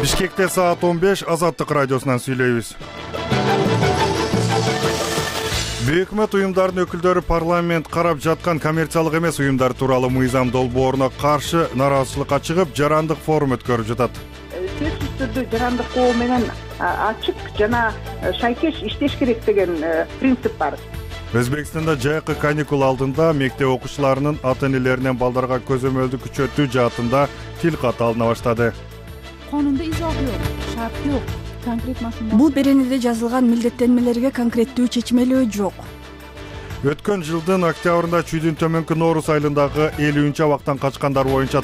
Бишкекте саат 15 Азаттык радиосунан сүйлөйбүз. Өкмөт уюмдарынын өкүлдөрү парламент карап жаткан коммерциялык эмес уюмдар тууралуу мыйзам долбооруна каршы нааразычылыкка чыгып, жарандык форум өткөрүп жатат. Сөзсүз түрдө жарандык кол менен ачык жана шайкеш иштеш керек деген принцип бар. Өзбекстанда жайкы каникул алдында мектеп окуучуларынын ата-энелеринен балдарга көзөмөлдү күчөтүү жаатында тил каты алына баштады. Канунда изох жок, шарт жок, конкрет машина. Бул беренеде жазылган милдеттенмелерге конкреттүү чечмелөө жок. Өткөн жылдын октябрында чүйдүн төмөнкү Нооруз айылындагы 50 абактан качкандар боюнча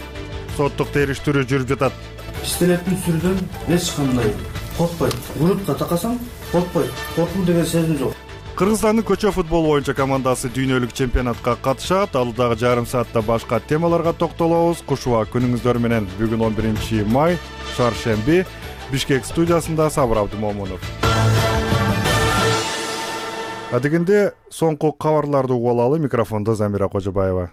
соттук териштирүү жүрүп жатат. Иштелетін сүрдөн эч кандай коркпойт. Урутка такасаң коркпойт. Коркуу деген сезим жок. Кыргызстандын көчө футбол боюнча командасы дүйнөлүк чемпионатка катышат. Алдагы жарым саатта башка темаларга токтолобуз. Кушуа күнүңүздөр менен. Бүгүн 11 май, шаршемби, Бишкек студиясында Сабыр Абдымомунов. Адегенде соңку кабарларды угуп алалы. Микрофондо Замира Кожобаева.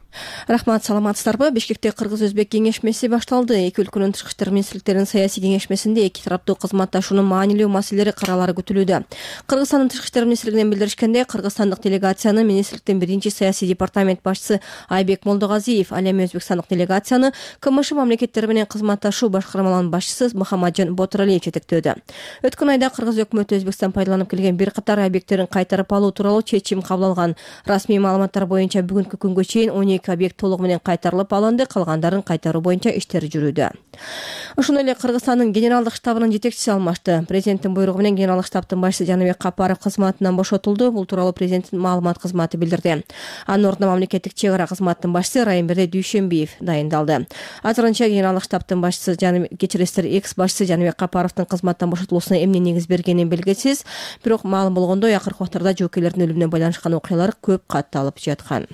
Рахмат, саламатсыздарбы? Бишкекте Кыргыз-Өзбек кеңешмеси башталды. Эки өлкөнүн тышкы иштер министрликтеринин саясий кеңешмесинде эки тараптуу кызматташуунун маанилүү маселелери каралары күтүлүүдө. Кыргызстандын тышкы иштер министрлигинен билдиришкенде, кыргызстандык делегацияны министрликтин биринчи саясий департамент башчысы Айбек Молдогазиев, ал эми өзбекстандык делегацияны КМШ мамлекеттери менен кызматташуу башкармаларынын башчысы Мухаммаджон Ботуралиев жетектөөдө. Өткөн айда Кыргыз өкмөтү Өзбекстан пайдаланып келген бир катар объекттерин кайтарып алуу тууралуу чечим кабыл алган. Расмий маалыматтар боюнча бүгүнкү күнгө чейин 12 объект толугу менен кайтарылып алынды, калгандарын кайтаруу боюнча иштер жүрүүдө. Ошондой эле Кыргызстандын генералдык штабынын жетекчиси алмашты. Президенттин буйругу менен генералдык штабтын башчысы Жаныбек Капаров кызматынан бошотулду. Бул тууралуу президенттин маалымат кызматы билдирди. Анын ордуна мамлекеттик чек ара кызматынын башчысы Райымберди Дүйшөнбиев дайындалды. Азырынча генералдык штабтын башчысы кечиресиздер экс башчысы Жаныбек Капаровдун кызматтан бошотулуусуна эмне негиз бергени белгисиз. Бирок маалым болгондой, акыркы убактарда жоокейлердин өлүмүнө байланышкан окуялар көп катталып жаткан.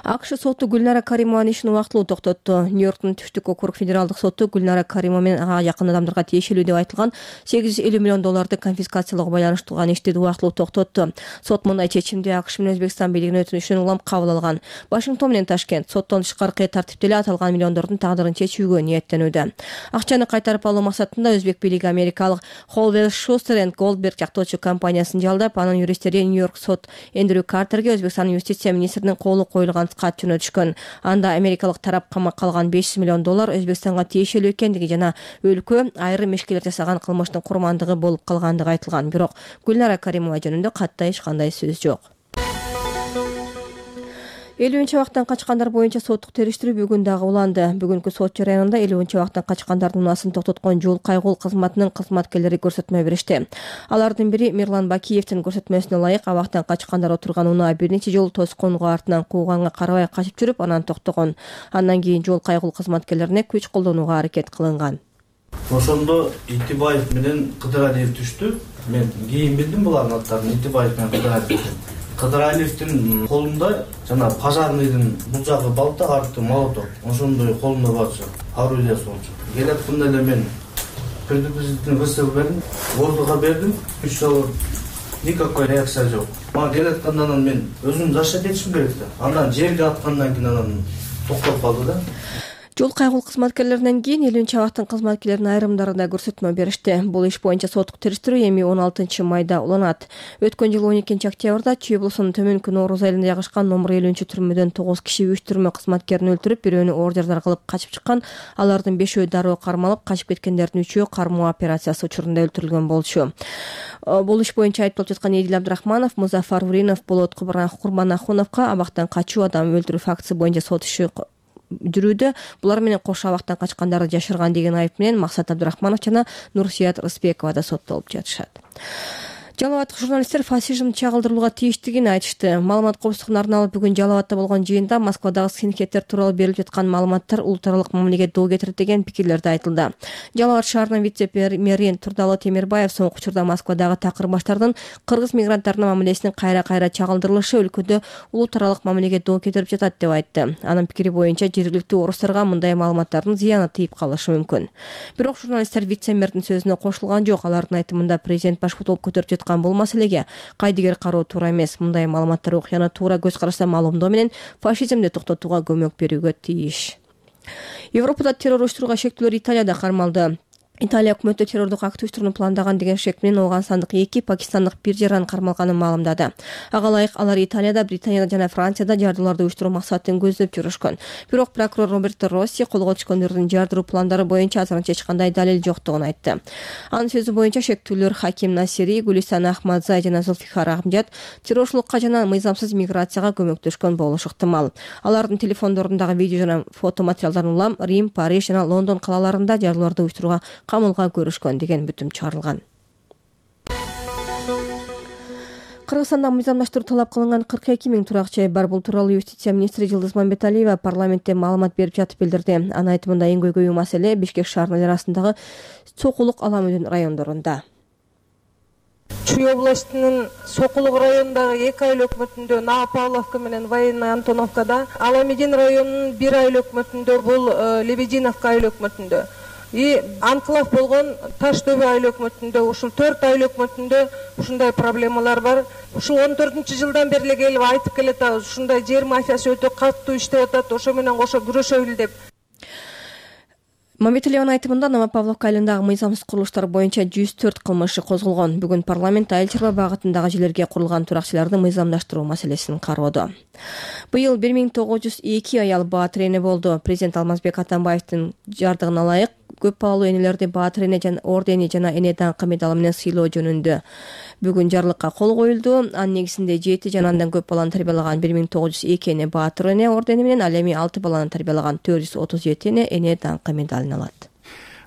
АКШ соту Гүлнара Каримованын ишин убактылуу токтотту. Нью-Йорктун түштүк округ федералдык соту Гүлнара Каримова менен ага жакын адамдарга тиешелүү деп айтылган $850 миллион конфискациялоого байланыштырган ишти убактылуу токтотту. Сот мындай чечимди АКШ менен Өзбекстан бийлигинин өтүнүшүнөн улам кабыл алган. Вашингтон менен Ташкент соттон тышкаркы тартипте эле аталган миллиондордун тагдырын чечүүгө ниеттенүүдө. Акчаны кайтарып алуу максатында Өзбек бийлиги америкалык Холвелл Шустер & Голдберг жактоочу компаниясын жалдап, анын юристтери Нью-Йорк сот Эндрю Картерге Өзбекстандын юстиция министринин колу коюлган кат жөнөтүшкөн. Анда америкалык тарап камакка алган $500 миллион Өзбекстанга тиешелүү экендиги жана өлкө айрым ишкерлер жасаган кылмыштын курмандыгы болуп калгандыгы айтылган. Бирок Гүлнара Каримова жөнүндө катта эч кандай сөз жок. 50 абактан качкандар боюнча соттук териштирүү бүгүн дагы уланды. Бүгүнкү сот жарыянында 50 абактан качкандардын унаасын токтоткон жол кайгул кызматынын кызматкерлери көрсөтмө беришти. Алардын бири Мирлан Бакиевдин көрсөтмөсүнө ылайык абактан качкандар отурган унаа бир нече жолу тоскоонго артынан кууганга карабай качып жүрүп, анан токтогон. Андан кийин жол кайгул кызматкерлерине күч колдонууга аракет кылынган. Ошондо Итибаев менен Кыдыралиев түштү. Мен кийин билдим булардын аттарын. Итибаев менен Кыдыралиев. Кыдыралиевдин колунда жана пожарныйдын бул жагы балта, арты молоток. Ошондой колунда барчу. Орудие болчу. Келатканда эле мен предупредительный выстрел бердим, воздухка бердим. 3 жолу никакой реакция жок. Мага келатканда мен өзүм защит этишим керек да. Андан жерге аткандан кийин анан токтоп калды да. Жол кайгул кызматкерлеринен кийин 50 абактын кызматкерлеринин айрымдары да көрсөтмө беришти. Бул иш боюнча соттук териштирүү эми 16 майда уланат. Өткөн жылы 12 октябрда Чүй облусунун төмөнкү Нооруз айылында жайгашкан номер 50 түрмөдөн 9 киши 3 түрмө кызматкерин өлтүрүп, бирөөнү ордердар кылып качып чыккан. Алардын 5-өө дароо кармалып, качып кеткендердин 3-өө кармоо операциясы учурунда өлтүрүлгөн болчу. Бул иш боюнча айтылып жаткан Эдил Абдрахманов, Музафар Уринов, Болот Курманахуновго абактан качуу, адам өлтүрүү фактысы боюнча сот иши жүрүүдө. Булар менен кош абактан качкандарды жашырган деген айып менен Максат Абдрахманов жана Нурсият Рыспекова да соттолуп жатышат. Жалал Абадтык журналисттер фашизм чагылдырылууга тийиштигин айтышты. Маалымат коопсуздугуна арналып бүгүн Жалал Абадта болгон жыйында Москвадагы скинхедтер тууралуу берилип жаткан маалыматтар улуттаралык мамилеге доо кетирет деген пикирлерди айтылды. Жалал Абад шаарынын вице-премьери Турдалы Темирбаев соңку учурда Москвадагы такыр баштардын кыргыз мигранттарынын мамилесинин кайра-кайра чагылдырылышы өлкөдө улуттаралык мамилеге доо кетирип жатат деп айтты. Анын пикири боюнча жергиликтүү орустарга мындай маалыматтардын зыяны тийип калышы мүмкүн. Бирок журналисттер вице-мэрдин сөзүнө кошулган жок. Алардын айтымында президент баш болуп көтөрүп жаткан бул маселеге кайдыгер кароо туура эмес. Мындай маалыматтар окуяны туура көз карашта маалымдоо менен фашизмди токтотууга көмөк берүүгө тийиш. Европада террор уюштурууга шектүүлөр Италияда кармалды. Италия өкмөтү террордук акт уюштурууну пландаган деген шек менен Ооганстандык 2 пакистандык 1 жаран кармалганын маалымдады. Ага ылайык алар Италияда, Британияда жана Францияда жардууларды уюштуруу максатын көздөп жүрүшкөн. Бирок прокурор Роберто Росси колго түшкөндөрдүн жардыруу пландары боюнча азырынча эч кандай далил жоктугун айтты. Анын сөзү боюнча шектүүлөр Хаким Насири, Гулистан Ахмадзай жана Зулфикар Ахмжат террорчулукка жана мыйзамсыз миграцияга көмөктөшкөн болушу ыктымал. Алардын телефондорундагы видео жана фото материалдарын улам Рим, Париж жана Лондон калаларында жардууларды уюштурууга камылга көрүшкөн деген бүтүм чыгарылган. Кыргызстанда мыйзамдаштыруу талап кылынган 42 000 турак жай бар. Бул тууралуу юстиция министри Жылдыз Мамбеталиева парламентте маалымат берип жатып билдирди. Анын айтымында эң көйгөйүү маселе Бишкек шаарынын арасындагы Сокулук Аламүдүн райондорунда. Чүй областынын Сокулук районундагы 2 айыл өкмөтүндө Наа Павловка менен Военный Антоновкада, Аламедин районунун 1 айыл өкмөтүндө бул Лебединовка айыл өкмөтүндө анклав болгон Таш дөбө айыл өкмөтүндө ушул 4 айыл өкмөтүндө ушундай проблемалар бар. Ушул 14-жылдан бери эле келип айтып келатабыз, ушундай жер мафиясы өтө катуу иштеп атат, ошо менен кошо күрөшөбүл деп. Мамбеталиеванын айтымында Новопавловка айылындагы мыйзамсыз курулуштар боюнча 104 кылмыш козголгон. Бүгүн парламент айыл чарба багытындагы жерлерге курулган туракчыларды мыйзамдаштыруу маселесин кароодо. Быйыл 1902 аял баа тирене болду. Президент Алмазбек Атамбаевдин жардыгына ылайык көп балалуу энелерди баа тирене ордени жана эне даңкы медалы менен сыйлоо жөнүндө бүгүн жарлыкка кол коюлду. Анын негизинде 7 жана андан көп баланы тарбиялаган 1902 эне баа тирене ордени менен, ал эми 6 баланы тарбиялаган 437 эне даңкы медалын алат.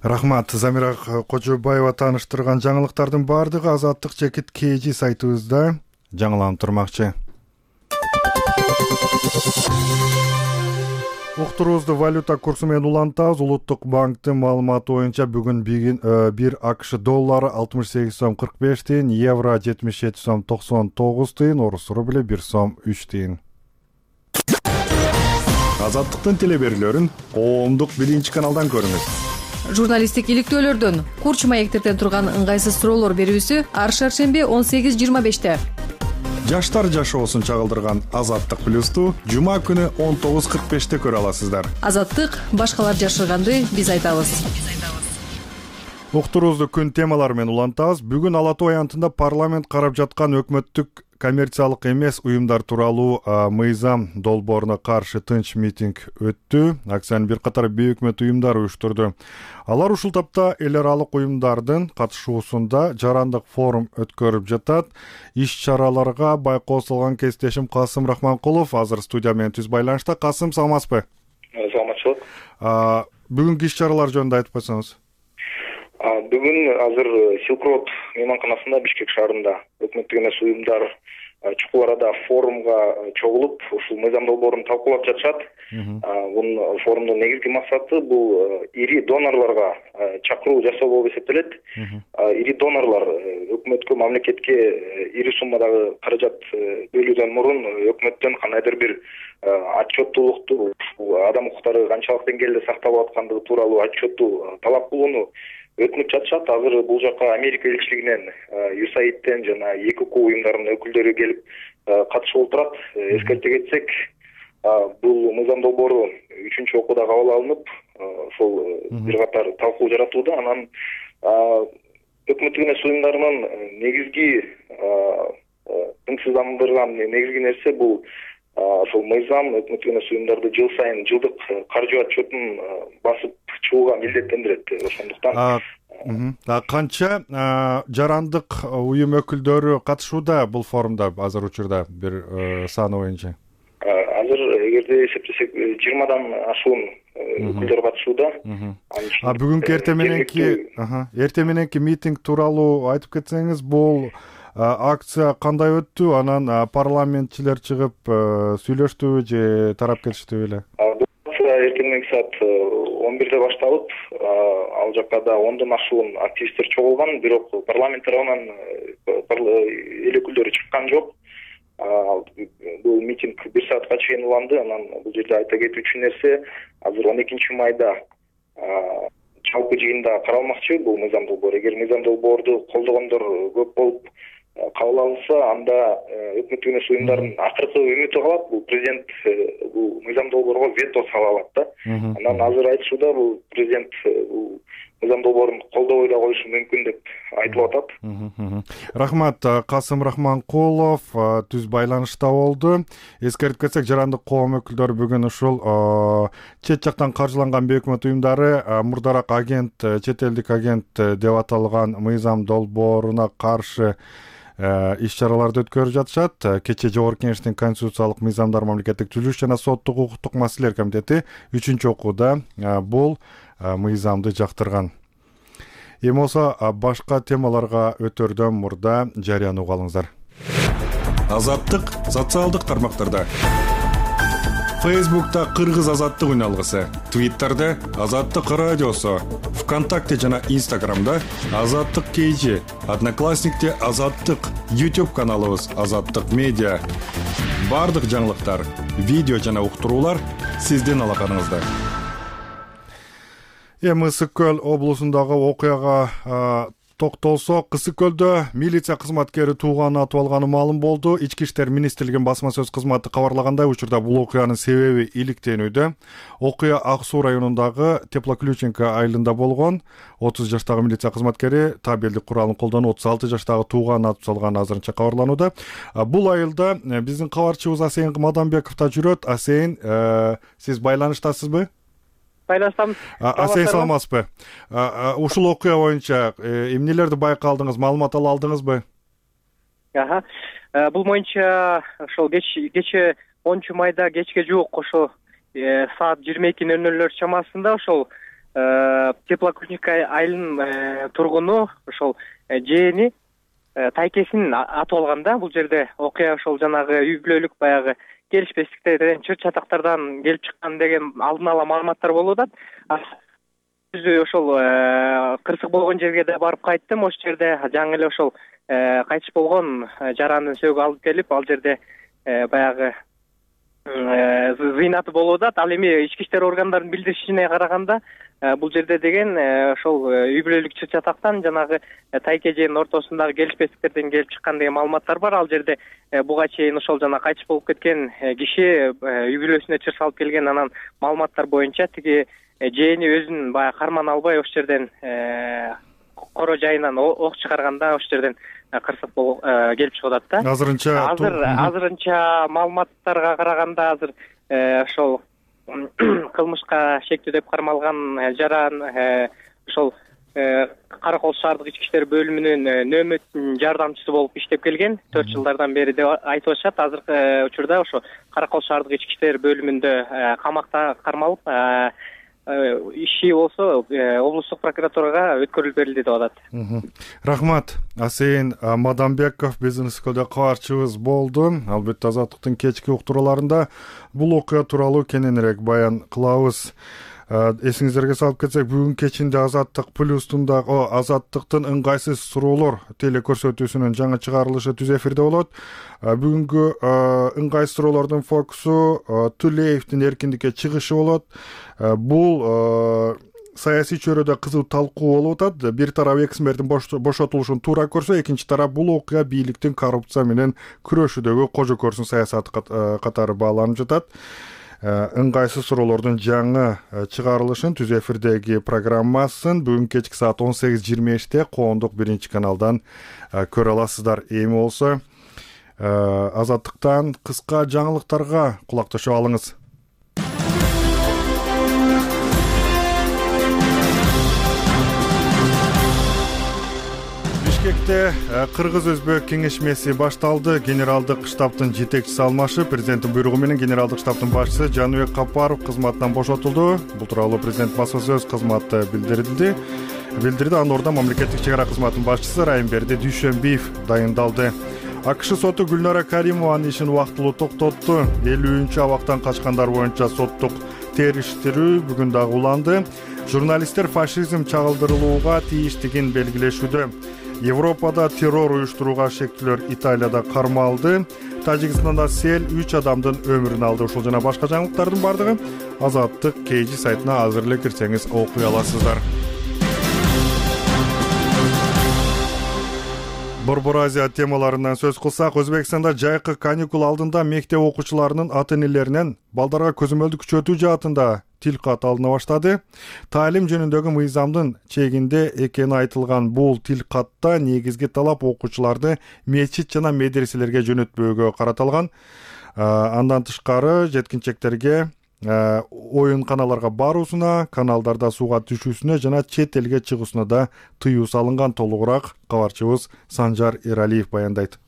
Рахмат. Замира Кожобаева тааныштырган жаңылыктардын баардыгы Азаттык чекит KG сайтыбызда жаңыланып турмакчы. Уктуруубузду валюта курсу менен улантабыз. Улуттук банктын маалыматы боюнча бүгүн 1 АКШ доллары 68 сом 45 тиын, евро 77 сом 99 тиын, орус рубли 1 сом 3 тиын. Азаттыктын телеберүүлөрүн коомдук биринчи каналдан көрүңүз. Журналисттик иликтөөлөрдөн, курч маектерден турган ыңгайсыз суроолор берүүсү ар шаршемби 18:25-те. Жаштар жашоосун чагылдырган Азаттык плюсту жума күнү 19:45-те көрө аласыздар. Азаттык башкалар жашырганды биз айтабыз. Уктуруубузду күн темалары менен улантабыз. Бүгүн Ала Тоо аянтында парламент карап жаткан өкмөттүк коммерциялык эмес уюмдар тууралуу мыйзам долбооруна каршы тынч митинг өттү. Акциянын бир катар бейөкмөт уюмдары уюштурду. Алар ушул тапта эл аралык уюмдардын катышуусунда жарандык форум өткөрүп жатат. Иш чараларга байкоо салган кесиптешим Касым Рахманкулов азыр студия менен түз байланышта. Касым, саламатсызбы? Саламатчылык. Бүгүнкү иш чаралар жөнүндө айтып койсоңуз. Бүгүн азыр Silk Road мейманканасында Бишкек шаарында өкмөттүк эмес уюмдар чукул арада форумга чогулуп, ушул мыйзам долбоорун талкуулап жатышат. Бул форумдун негизги максаты бул ири донорлорго чакыруу жасоо болуп эсептелет. Ири донорлор өкмөткө, мамлекетке ири суммадагы каражат бөлүүдөн мурун өкмөттөн кандайдыр бир отчеттуулукту, адам укуктары канчалык деңгээлде сакталып аткандыгы тууралуу отчетту талап кылууну өтүнүп жатышат. Азыр бул жака Америка элчилигинен, USAID-тен жана ЭКК уюмдарынын өкүлдөрү келип катышып отурат. Эскерте кетсек, бул мыйзам долбоору 3-чү окууда кабыл алынып, ошол бир катар талкуу жаратууда. Анан өкмөттүк эмес уюмдарынын негизги тынчсыздандырган негизги нерсе бул ошол мыйзам өкмөттүк эмес уюмдарды жыл сайын жылдык каржы отчетун басып чыгууга милдеттендирет. Ошондуктан канча жарандык уюм өкүлдөрү катышууда бул форумда азыр учурда бир саны боюнча? Азыр эгерде эсептесек 20дан ашуун өкүлдөр катышууда. Бүгүнкү эртең мененки митинг тууралуу айтып кетсеңиз, бул акция кандай өттү? Анан парламентчилер чыгып сүйлөштүбү же тарап кетиштиби эле? Акция эртең мененки саат 11-де башталып, ал жакка да 10дон ашуун активисттер чогулган, бирок парламент тарабынан эл өкүлдөрү чыккан жок. Бул митинг 1 саатка чейин уланды. Анан бул жерде айта кетүүчү нерсе, азыр 12-майда жалпы жыйында каралмакчы бул мыйзам долбоору. Эгер мыйзам долбоорду колдогондор көп болуп, кабыл алынса, анда өкмөттүк эмес уюмдардын акыркы үмүтү калат. Бул президент бул мыйзам долбоорго вето сала алат да. Анан азыр айтышууда бул президент бул мыйзам долбоорун колдобой да коюшу мүмкүн деп айтылып атат. Рахмат. Касым Рахманкулов түз байланышта болду. Эскертип кетсек, жарандык коом өкүлдөрү бүгүн ушул чет жактан каржыланган бейөкмөт уюмдары мурдараак агент, чет элдик агент деп аталган мыйзам долбооруна каршы иш-чараларды өткөрүп жатышат. Кечээ Жогорку Кеңештин Конституциялык мыйзамдар, мамлекеттик түзүлүш жана соттук укуктук маселелер комитети 3-чү окууда бул мыйзамды жактырган. Эми болсо башка темаларга өтөрдөн мурда жарыяны угуп алыңыздар. Азаттык социалдык тармактарда. Фейсбукта Кыргыз азаттык үналгысы, Твиттерде Азаттык радиосу, ВКонтакте жана Инстаграмда Азаттык KG, Одноклассникте Азаттык, YouTube каналыбыз Азаттык медиа. Бардык жаңылыктар, видео жана уктуруулар сиздин алаканыңызда. Эми Ысык Көл облусундагы окуяга токтолсок, Ысык Көлдө милиция кызматкери тууганын атып алганы маалым болду. Ички иштер министрлигинин басма сөз кызматы кабарлагандай, учурда бул окуянын себеби иликтенүүдө. Окуя Ак Суу районундагы Теплоключенко айылында болгон. 30 жаштагы милиция кызматкери табелдик куралын колдонуп 36 жаштагы тууганын атып салганы азырынча кабарланууда. Бул айылда биздин кабарчыбыз Асейин Мадамбеков да жүрөт. Асейин, сиз байланыштасызбы? Байланыштамыз. Асейин, саламатсызбы? Ушул окуя боюнча эмнелерди байкалдыңыз, маалымат ала алдыңызбы? Бул боюнча ошол кечээ 10 майда кечке жуук ошол саат 22:00 чамасында ошол Теплоключенко айылынын тургуну ошол жээни тайкесин атып алган да. Бул жерде окуя ошол жанагы үй бүлөлүк баягы келишпестиктерден, чыр чатактардан келип чыккан деген алдын ала маалыматтар болуп атат. Ошол кырсык болгон жерге да барып кайттым. Ошол жерде жаңы эле ошол кайтыш болгон жарандын сөөгү алып келип, ал жерде баягы зыйнаты болуп атат. Ал эми ички иштер органдарынын билдиришине караганда, бул жерде деген ошол үй бүлөлүк чыр чатактан жанагы тайке жээнин ортосундагы келишпестиктерден келип чыккан деген маалыматтар бар. Ал жерде буга чейин ошол жана кайтыш болуп кеткен киши үй бүлөсүнө чыр салып келген. Анан маалыматтар боюнча тиги жээни өзүн баягы карман албай ошол жерден коро жайынан ок чыгарганда ошол жерден кырсык келип чыгып атат да. Азырынча маалыматтарга караганда азыр ошол кылмышка шектүү деп кармалган жаран ошол Каракол шаардык ички иштер бөлүмүнүн нөөмөт жардамчысы болуп иштеп келген 4 жылдардан бери деп айтып атышат. Азыркы учурда ошо Каракол шаардык ички иштер бөлүмүндө камакта кармалып, иши болсо облустук прокуратурага өткөрүлүп берилди деп атат. Рахмат. Асейин Мадамбеков биздин Ысык Көлдө кабарчыбыз болду. Албетте Азаттыктын кечки уктурууларында бул окуя тууралуу кененирээк баян кылабыз. Эсиңиздерге салып кетсек, бүгүн кечинде Азаттык плюстундагы Азаттыктын ыңгайсыз суроолор телекөрсөтүүсүнүн жаңы чыгарылышы түз эфирде болот. Бүгүнкү ыңгайсыз суроолордун фокусу Тулеевдин эркиндикке чыгышы болот. Бул саясий чөйрөдө кызуу талкуу болуп атат. Бир тарап эксмердин бошотулушун туура көрсө, экинчи тарап бул окуя бийликтин коррупция менен күрөшүүдөгү кожо көрсүн саясаты катары бааланып жатат. Ыңгайсыз суроолордун жаңы чыгарылышын түз эфирдеги программасын бүгүн кечки саат 18:25 Коомдук 1-каналдан көрө аласыздар. Эми болсо Азаттыктан кыска жаңылыктарга кулакташып алыңыз. Бишкекте Кыргыз-Өзбек кеңешмеси башталды. Генералдык штабтын жетекчиси алмашып, президенттин буйругу менен генералдык штабтын башчысы Жаныбек Капаров кызматынан бошотулду. Бул тууралуу президент басма сөз кызматы билдирди. Анын ордуна мамлекеттик чек ара кызматынын башчысы Райымберди Дүйшөнбиев дайындалды. АКШ соту Гүлнара Каримованын ишин убактылуу токтотту. 53 абактан качкандар боюнча соттук териштирүү бүгүн дагы уланды. Журналисттер фашизм чагылдырылууга тийиштигин белгилешүүдө. Европада террор уюштурууга шектүүлөр Италияда кармалды. Тажикстанда сел 3 адамдын өмүрүн алды. Ушул жана башка жаңылыктардын бардыгы Азаттык KG сайтына азыр эле кирсеңиз окуй аласыздар. Борбор Азия темаларынан сөз кылсак, Өзбекстанда жайкы каникул алдында мектеп окуучуларынын ата-энелеринен балдарга көзөмөлдү күчөтүү жаатында тил кат алына баштады. Таалим жөнүндөгү мыйзамдын чегинде экени айтылган бул тил катта негизги талап окуучуларды мечит жана медреселерге жөнөтпөөгө каратылган. Андан тышкары жеткинчектерге оюнканаларга баруусуна, каналдарда сууга түшүүсүнө жана чет элге чыгуусуна да тыюу салынган. Толугураак кабарчыбыз Санжар Эралиев баяндайт.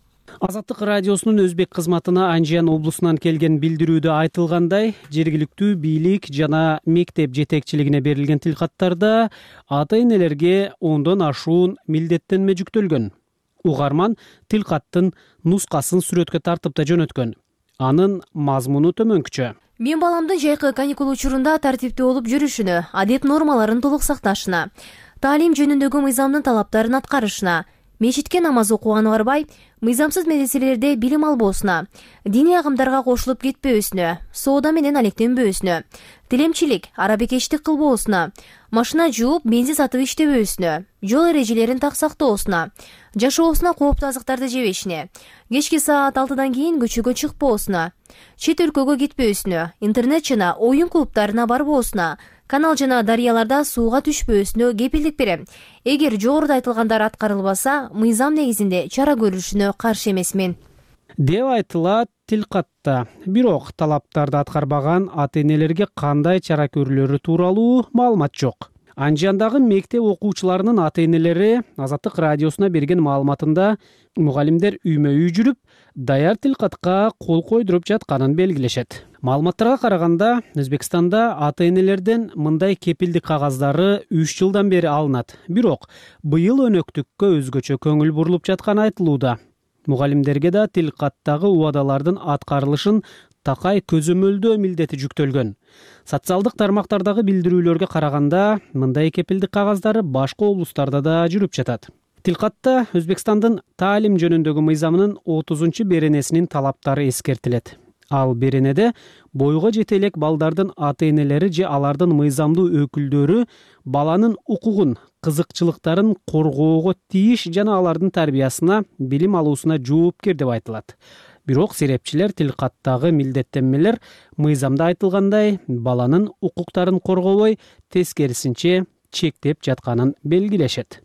Азаттык радиосунун өзбек кызматына Анжиян облусунан келген билдирүүдө айтылгандай, жергиликтүү бийлик жана мектеп жетекчилигине берилген тилкаттарда ата-энелерге 10дон ашуун милдеттенме жүктөлгөн. Угарман тилкаттын нускасын сүрөткө тартып да жөнөткөн. Анын мазмуну төмөнкүчө. Мен баламдын жайкы каникул учурунда тартиптүү болуп жүрүшүнө, адеп нормаларын толук сакташына, таалим жөнүндөгү мыйзамдын талаптарын аткарышына, мечитке намаз окуганы барбай, мыйзамсыз медреселерде билим албоосуна, диний агымдарга кошулуп кетпөөсүнө, соода менен алектенбөөсүнө, тилемчилик, арабекечтик кылбоосуна, машина жууп, бензин сатып иштебөөсүнө, жол эрежелерин так сактоосуна, жашоосуна кооптуу азыктарды жебешине, кечки саат 6-дан кийин көчөгө чыкпоосуна, чет өлкөгө кетпөөсүнө, интернет жана оюн клубтарына барбоосуна, канал жана дарыяларда сууга түшпөөсүнө кепилдик берем. Эгер жогоруда айтылгандар аткарылбаса, мыйзам негизинде чара көрүлүшүнө каршы эмесмин, деп айтылат тилкатта. Бирок талаптарды аткарбаган ата-энелерге кандай чара көрүлөрү тууралуу маалымат жок. Анжияндагы мектеп окуучуларынын ата-энелери Азаттык радиосуна берген маалыматында мугалимдер үймө-үй жүрүп, даяр тилкатка кол койдуруп жатканын белгилешет. Маалыматтарга караганда, Өзбекстанда ата-энелерден мындай кепилдик кагаздары 3 жылдан бери алынат. Бирок быйыл өнөктүккө өзгөчө көңүл бурулуп жатканы айтылууда. Мугалимдерге да тилкаттагы убадалардын аткарылышын такай көзөмөлдөө милдети жүктөлгөн. Социалдык тармактардагы билдирүүлөргө караганда, мындай кепилдик кагаздары башка облустарда да жүрүп жатат. Тилкатта Өзбекстандын таалим жөнүндөгү мыйзамынын 30-беренесинин талаптары эскертилет. Ал беренеде бойго жете элек балдардын ата-энелери же алардын мыйзамдуу өкүлдөрү баланын укугун, кызыкчылыктарын коргоого тийиш жана алардын тарбиясына, билим алуусуна жоопкер деп айтылат. Бирок серепчилер тилкаттагы милдеттенмелер мыйзамда айтылгандай баланын укуктарын коргобой, тескерисинче чектеп жатканын белгилешет.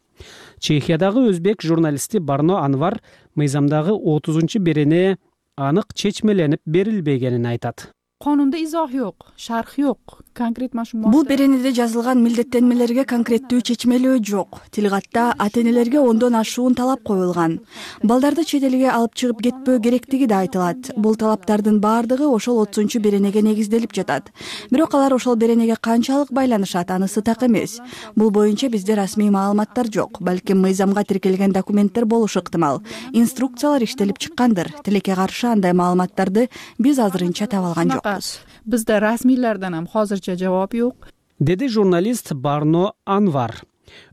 Чехиядагы өзбек журналисти Барно Анвар мыйзамдагы 30-берене анык чечмеленип берилбегенин айтат. Канунда изох жок, шарх жок. Конкрет машина. Бул беренеде жазылган милдеттенмелерге конкреттүү чечмелөө жок. Тилкатта ата-энелерге 10дон ашуун талап коюлган. Балдарды чет элге алып чыгып кетпөө керектиги да айтылат. Бул талаптардын баардыгы ошол 30-беренеге негизделип жатат. Бирок алар ошол беренеге канчалык байланышат, анысы так эмес. Бул боюнча бизде расмий маалыматтар жок. Балким мыйзамга тиркелген документтер болушу ыктымал. Инструкциялар иштелип чыккандыр. Тилекке каршы андай маалыматтарды биз азырынча таба алган жокпуз. Бизде расмийлерден ham hozircha javob yo'q, деди журналист Барно Анвар.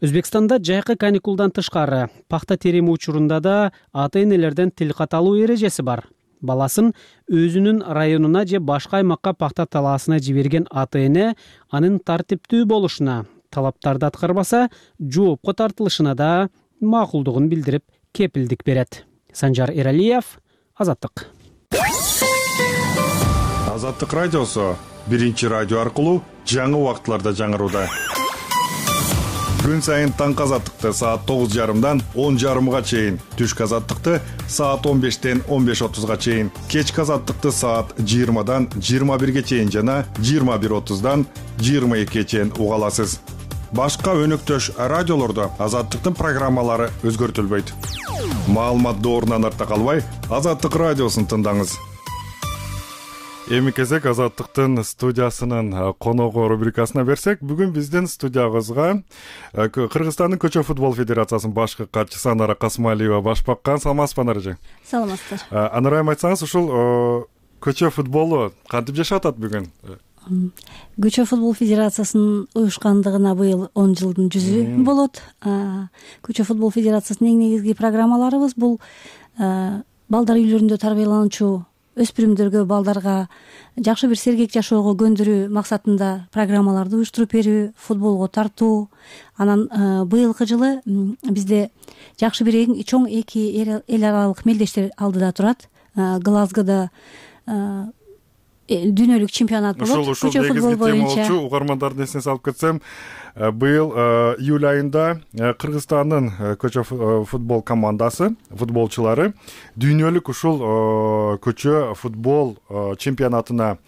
Өзбекстанда жайкы каникулдан тышкары пахта терими учурунда да ата-энелерден тилкат алуу эрежеси бар. Баласын өзүнүн районуна же башка аймакка пахта талаасына жиберген ата-эне анын тартиптүү болушуна, талаптарды аткарбаса жоопко тартылышына да макулдугун билдирип кепилдик берет. Санжар Эралиев, Азаттык. Азаттык радиосу биринчи радио аркылуу жаңы убакытларда жаңырууда. Күн сайын таңкы азаттыкты саат 9:30дан 10:30га чейин, түшкү азаттыкты саат 15-тен 15:30га чейин, кечки азаттыкты саат 20-дан 21-ге чейин жана 21:30-дан 22-ге чейин уга аласыз. Башка өнөктөш радиолордо азаттыктын программалары өзгөртүлбөйт. Маалымат доорунан артта калбай, Азаттык радиосун тыңдаңыз. Эми кезек Азаттыктын студиясынын коногу рубрикасына берсек, бүгүн биздин студиябызга Кыргызстандын Көчө футбол федерациясынын башкы катчысы Анара Касмалиева баш баккан. Саламатсызбы, Анара эже? Саламатсыздар. Анара айым, айтсаңыз, ушул көчө футболу кантип жашап атат бүгүн? Көчө футбол федерациясынын уюшкандыгына быйыл 10 жылдын жүзү болот. Көчө футбол федерациясынын эң негизги программаларыбыз бул балдар үйлөрүндө тарбиялануучу өспүрүмдөргө, балдарга жакшы бир сергек жашоого көндүрүү максатында программаларды уюштуруп берүү, футболго тартуу. Анан быйылкы жылы бизде жакшы бир эң чоң 2 эл аралык мелдештер алдыда турат. Глазгода дүйнөлүк чемпионат болот. Ушул негизги тема болчу. Угармандардын эсине салып кетсем, быйыл июль айында Кыргызстандын көчө футбол командасы, футболчулары дүйнөлүк ушул көчө футбол чемпионатына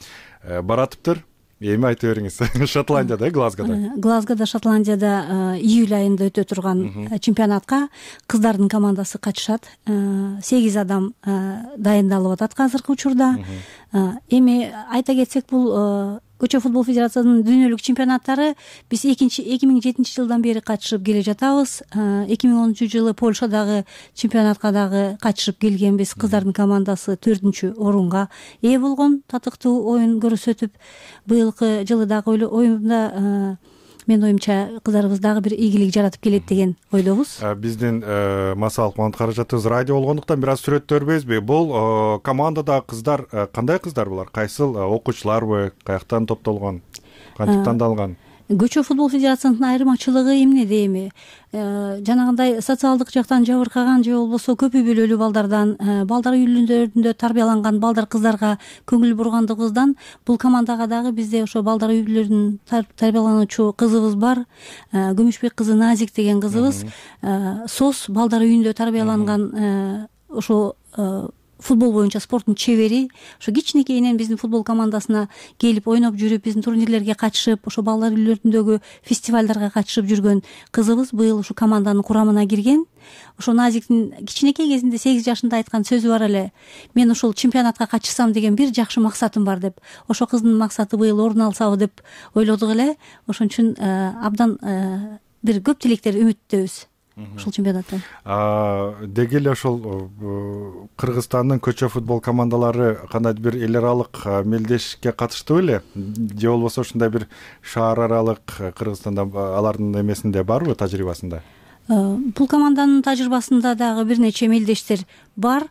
баратыптыр. Эми айта бериңиз. Шотландияда, Глазгода, Шотландияда июль айында өтө турган чемпионатка кыздардын командасы катышат. 8 адам дайындалып атат азыркы учурда. Эми айта кетсек, бул көчө футбол федерациясынын дүйнөлүк чемпионаттары биз 2007-жылдан бери катышып келе жатабыз. 2010-жылы Польшадагы чемпионатка дагы катышып келгенбиз. Кыздардын командасы 4-орунга ээ болгон, татыктуу оюн көрсөтүп. Быйылкы жылы дагы оюнда менин оюмча кыздарыбыз дагы бир ийгилик жаратып келет деген ойдобуз. Биздин массалык маалымат каражатыбыз радио болгондуктан бир аз сүрөттөрбөйбүзбү? Бул командадагы кыздар кандай кыздар булар? Кайсыл окуучуларбы? Каяктан топтолгон? Кантип тандалган? Көчө футбол федерациясынын айырмачылыгы эмнеде эми? Жанагындай социалдык жактан жабыркаган же болбосо көп үй бүлөлүү балдардан, балдар үйлөрүндө тарбияланган балдар кыздарга көңүл бургандыгыбыздан бул командага дагы бизде ошо балдар үй бүлөлөрүнүн тарбиялануучу кызыбыз бар. Күмүшбек кызы Назик деген кызыбыз СОС балдар үйүндө тарбияланган ошо футбол боюнча спорттун чебери. Ошо кичинекейинен биздин футбол командасына келип ойноп жүрүп, биздин турнирлерге катышып, ошо балдар үйлөрүндөгү фестивалдарга катышып жүргөн кызыбыз быйыл ушу команданын курамына кирген. Ошо Назиктин кичинекей кезинде 8 жашында айткан сөзү бар эле: мен ушул чемпионатка катышсам деген бир жакшы максатым бар деп. Ошо кыздын максаты быйыл орун алсабы деп ойлодук эле. Ошон үчүн абдан бир көп тилектер, үмүттөбүз ушул чемпионаттан. Деги эле ошол Кыргызстандын көчө футбол командалары кандайдыр бир эл аралык мелдешке катыштыбы эле? Же болбосо ушундай бир шаар аралык Кыргызстанда алардын эмесинде барбы, тажрыйбасында? Бул команданын тажрыйбасында дагы бир нече мелдештер бар.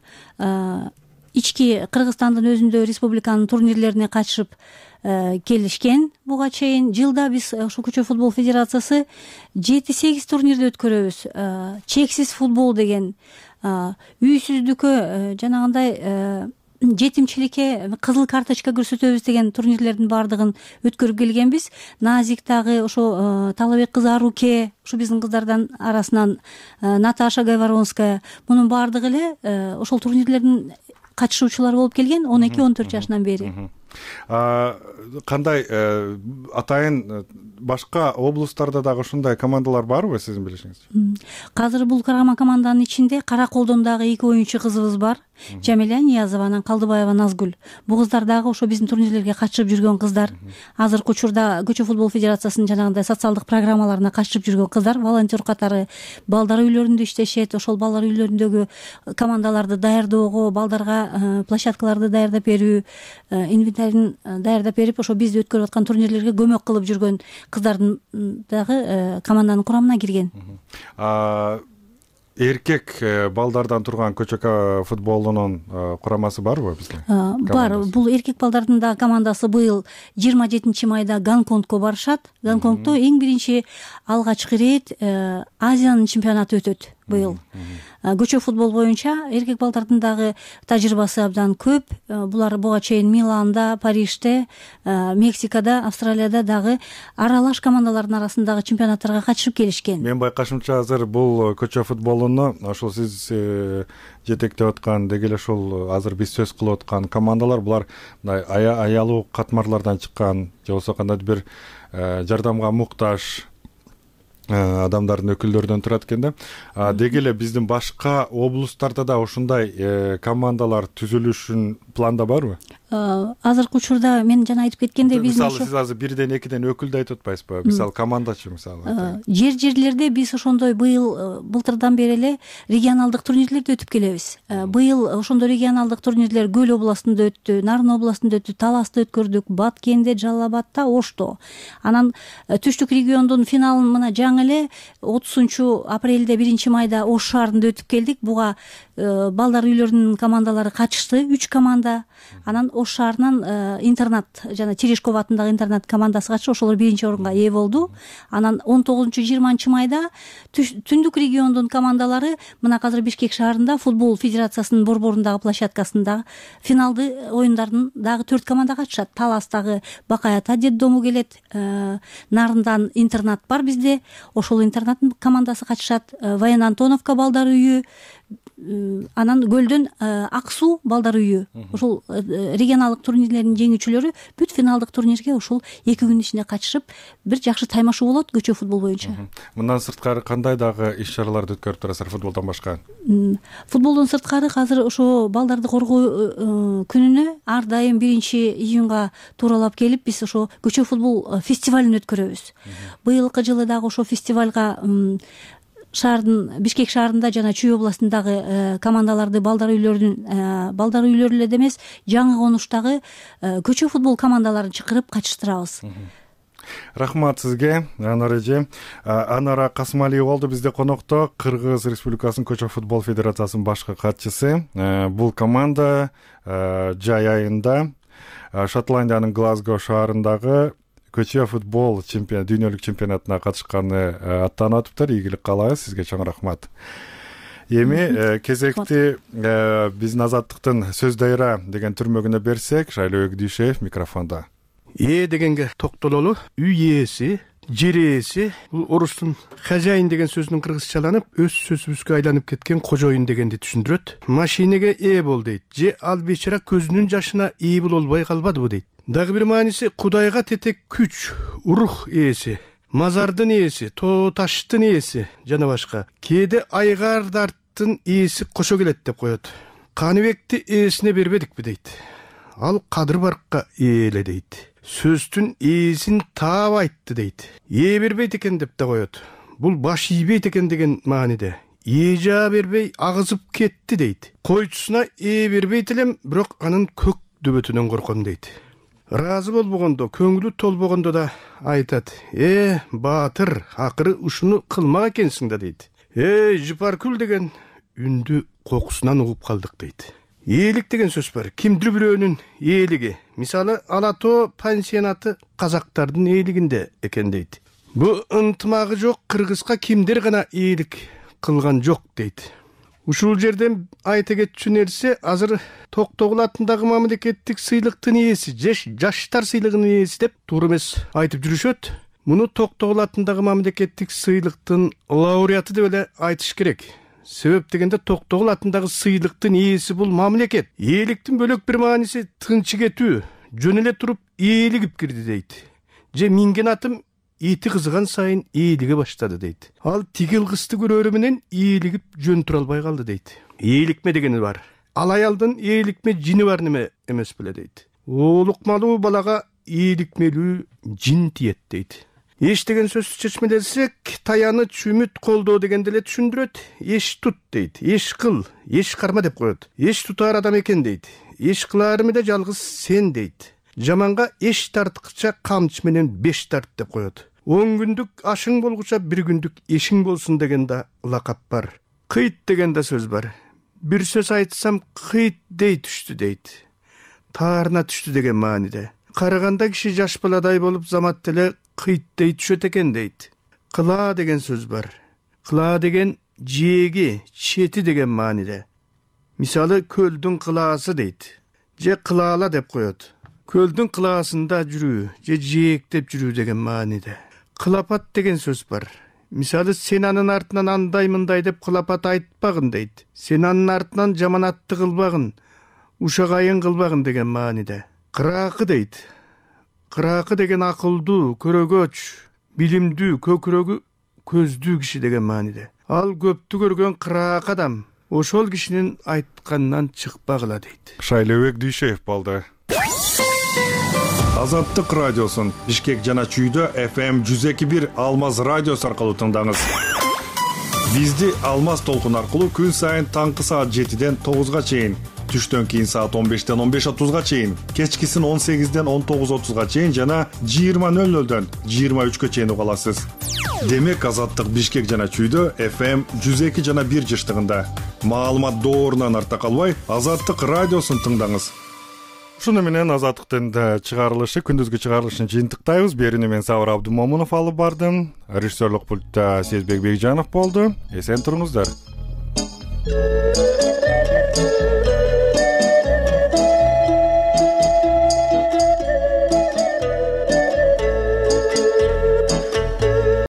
Ички Кыргызстандын өзүндө республиканын турнирлерине катышып келишкен. Буга чейин жылда биз ушул көчө футбол федерациясы 7-8 турнирди өткөрөбүз. Чексиз футбол деген, үйсүздүккө, жанагындай жетимчиликке кызыл карточка көрсөтөбүз деген турнирлердин баардыгын өткөрүп келгенбиз. Назик дагы, ошо Талабек кызы Аруке, ушу биздин кыздардан арасынан Наташа Гайворонская, мунун баардыгы эле ошол турнирлердин катышуучулары болуп келген 12-14 жашынан бери. Кандай атайын башка облустарда дагы ушундай командалар барбы сиздин билишиңизче? Азыр бул команданын ичинде Кара Колдон дагы 2 оюнчу кызыбыз бар. Жамиля Ниязова, анан Калдыбаева Назгүл. Бул кыздар дагы ошо биздин турнирлерге катышып жүргөн кыздар. Азыркы учурда Көчө футбол федерациясынын жанагындай социалдык программаларына катышып жүргөн кыздар, волонтер катары балдар үйлөрүндө иштешет. Ошол балдар үйлөрүндөгү командаларды даярдоого, балдарга площадкаларды даярдап берүү, инвентарин даярдап берип, ошо бизди өткөрүп аткан турнирлерге көмөк кылып жүргөн кыздардын дагы команданын курамына кирген. Эркек балдардан турган көчө футболунун курамасы барбы бизде? Бар. Бул эркек балдардын да командасы быйыл 27-майда Гонконгко барышат. Гонконгдо эң биринчи алгачкы ирет Азиянын чемпионаты өтөт быйыл. Көчө футбол боюнча эркек балдардын дагы тажрыйбасы абдан көп. Булар буга чейин Миланда, Парижде, Мексикада, Австралияда дагы аралаш командалардын арасындагы чемпионаттарга катышып келишкен. Мен байкашымча азыр бул көчө футболуну ошол сиз жетектеп аткан, деги эле ошол азыр биз сөз кылып аткан командалар, булар мындай аялуу катмарлардан чыккан, же болбосо кандайдыр бир жардамга муктаж адамдардын өкүлдөрүнөн турат экен да. Деги эле биздин башка облустарда да ушундай командалар түзүлүшүн планда барбы? азыркы учурда мен жана айтып кеткендей биздин мисалы сиз азыр бирден экиден өкүлдү айтып атпайсызбы, мисалы командачы мисалы жерлерде биз ошондой былтырдан бери эле регионалдык турнирлерди өтүп келебиз. Быйыл ошондой регионалдык турнирлер Көл областында өттү, Нарын областында өттү, Таласта өткөрдүк, Баткенде, Жалал абадта, Ошто. Анан түштүк региондун финалын мына жаңы эле 30-апрелде 1-майда Ош шаарында өтүп келдик. Буга балдар үйлөрүнүн командалары катышты, 3 команда. Анан Ош шаарынан интернат жана Терешков атындагы интернат командасы катышып, ошолор 1-орунга ээ болду. Анан 19-20 майда түндүк региондун командалары мына азыр Бишкек шаарында футбол федерациясынын борборундагы площадкасында финалды оюндардын дагы 4 команда катышат. Таластагы Бакай ата детдому келет, Нарындан интернат бар бизде, ошол интернаттын командасы катышат, Воен Антоновка балдар үйү, анан Көлдөн Ак суу балдар үйү. Ошол регионалдык турнирлердин жеңүүчүлөрү бүт финалдык турнирге ушул 2 күн ичинде катышып, бир жакшы таймашуу болот көчө футбол боюнча. Мындан сырткары кандай дагы иш-чараларды өткөрүп турасыздар футболдон башка? Футболдон сырткары азыр ошо балдарды коргоо күнүнө ар дайым 1-июнга тууралап келип биз ошо көчө футбол фестивалын өткөрөбүз. Быйылкы жылы дагы ошо фестивалга шаардын Бишкек шаарында жана Чүй областындагы командаларды балдар үйлөрү эле эмес, жаңы конуштагы көчө футбол командаларын чакырып катыштырабыз. Рахмат сизге, Анар эже. Анара Касымалиева болду бизде конокто, Кыргыз Республикасынын көчө футбол федерациясынын башкы катчысы. Бул команда жай айында Шотландиянын Глазго шаарындагы көчө футбол дүйнөлүк чемпионатына катышканы аттанып атыптыр. Ийгилик каалайбыз, сизге чоң рахмат. Эми кезекти биздин Азаттыктын Сөз дайра деген түрмөгүнө берсек, Шайлоо Дүйшеев микрофондо. Дегенге токтололу, үй ээси, жер ээси, бул орустун хозяин деген сөзүнүн кыргызчаланып, өз сөзүбүзгө айланып кеткен кожоюн дегенди түшүндүрөт. Машинеге ээ бол дейт, же ал бечара көзүнүн жашына ээ боло албай калбадыбы дейт. Дагы бир мааниси Кудайга тетек күч, рух ээси, мазардын ээси, тоо таштын ээси жана башка. Кээде айгардардын ээси кошо келет деп коет. Каныбекти ээсине бербедикпи дейт. Ал Кадыр Баркка ээле дейт. Сөздүн ээсин таап айтты дейт. Ээ бербейт экен деп да коет. Бул баш ийбейт экен деген мааниде. Ээ жаа бербей агызып кетти дейт. Койчусуна ээ бербейт элем, бирок анын көк дөбөтүнөн корком дейт. Разы болбогондо, көңүлү толбогондо да айтат. Баатыр, акыры ушуну кылмак экенсиң да дейт. Жыпаркүл деген үндү кокусунан угуп калдык дейт. Ээлик деген сөз бар. Кимдир бирөөнүн ээлиги. Мисалы, Ала Тоо пансионаты казактардын ээлигинде экен дейт. Бу ынтымагы жок кыргызга кимдир гана ээлик кылган жок дейт. Ушул жерден айта кетчү нерсе, азыр Токтогул атындагы мамлекеттик сыйлыктын ээси, жаштар сыйлыгынын ээси деп туура эмес айтып жүрүшөт. Муну Токтогул атындагы мамлекеттик сыйлыктын лауреаты деп эле айтыш керек. Себеп дегенде Токтогул атындагы сыйлыктын ээси бул мамлекет. Ээликтин бөлөк бир мааниси тынчы кетүү, жөн эле туруп ээлигип кирди дейт. Же минген атым ити кызыган сайын ээлиге баштады дейт. Ал тигил кызды көрөрү менен ээлигип жөн тура албай калды дейт. Ээликме дегени бар. Ал аялдын ээликме жини бар неме эмес беле дейт. Оолукмалуу балага ээликмелүү жин тиет дейт. Эш деген сөздү чечмелесек, таяныч, үмүт, колдоо дегенди эле түшүндүрөт. Эш тут дейт. Эш кыл, эш карма деп коет. Эш тутар адам экен дейт. Эш кыларымы да жалгыз сен дейт. Жаманга эш тарткыча камчы менен 5 тарт деп коет. 10 күндүк ашың болгуча 1 күндүк эшиң болсун деген да лакап бар. Кыйт деген да сөз бар. Бир сөз айтсам кыйт дей түштү дейт. Таарына түштү деген мааниде. Караганда киши жаш баладай болуп замат деле кыйттей түшөт экен дейт. Кыла деген сөз бар. Кыла деген жээги, чети деген мааниде. Мисалы, көлдүн кылаасы дейт. Же кылаала деп коет. Көлдүн кылаасында жүрүү, же жээктеп жүрүү деген мааниде. Кылапат деген сөз бар. Мисалы, сен анын артынан андай мындай деп кылапат айтпагын дейт. Сен анын артынан жаманатты кылбагын, ушагайын кылбагын деген мааниде. Кыраакы дейт. Кыраакы деген акылдуу, көрөгөч, билимдүү, көкүрөгү көздүү киши деген мааниде. Ал көптү көргөн кыраак адам ошол кишинин айтканынан чыкпагыла дейт. Шайлообек Дүйшеев болду. Азаттык радиосун Бишкек жана Чүйдө FM 102.1 Алмаз радиосу аркылуу тыңдаңыз. Бизди Алмаз толкун аркылуу күн сайын таңкы саат 7ден 9га чейин, түштөн кийин саат 15ден 15:30га чейин, кечкисин 18ден 19:30га чейин жана 20:00дөн 23гө чейин уга аласыз. Демек Азаттык Бишкек жана Чүйдө FM 102 жана 1 жыштыгында. Маалымат доорунан арта калбай, Азаттык радиосун тыңдаңыз. Ушуну менен Азаттыктын чыгарылышы, күндүзгү чыгарылышын жыйынтыктайбыз. Берүүнү мен Сабыр Абдумомунов алып бардым. Режиссерлук пультта Сезбек Бекжанов болду. Эсен туруңуздар.